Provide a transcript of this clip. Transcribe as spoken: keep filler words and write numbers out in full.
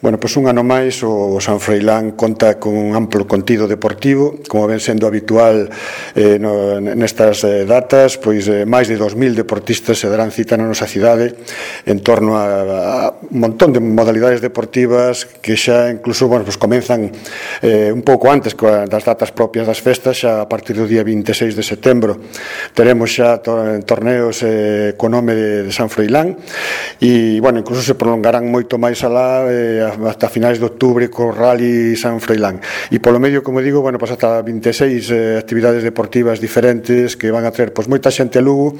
Bueno, pois un ano máis o San Froilán conta con un amplo contido deportivo, como ven sendo habitual eh, no, nestas eh, datas, pois eh, máis de dos mil deportistas se darán cita na nosa cidade en torno a, a un montón de modalidades deportivas que xa incluso, bueno, pois comenzan eh, un pouco antes das datas propias das festas, xa a partir do día vinte e seis de setembro teremos xa torneos eh, co nome de, de San Froilán e, bueno, incluso se prolongarán moito máis alá eh, hasta finais de outubro co Rally San Froilán e polo medio, como digo, bueno, pues hasta vinte e seis eh, actividades deportivas diferentes que van a traer pues moita xente a Lugo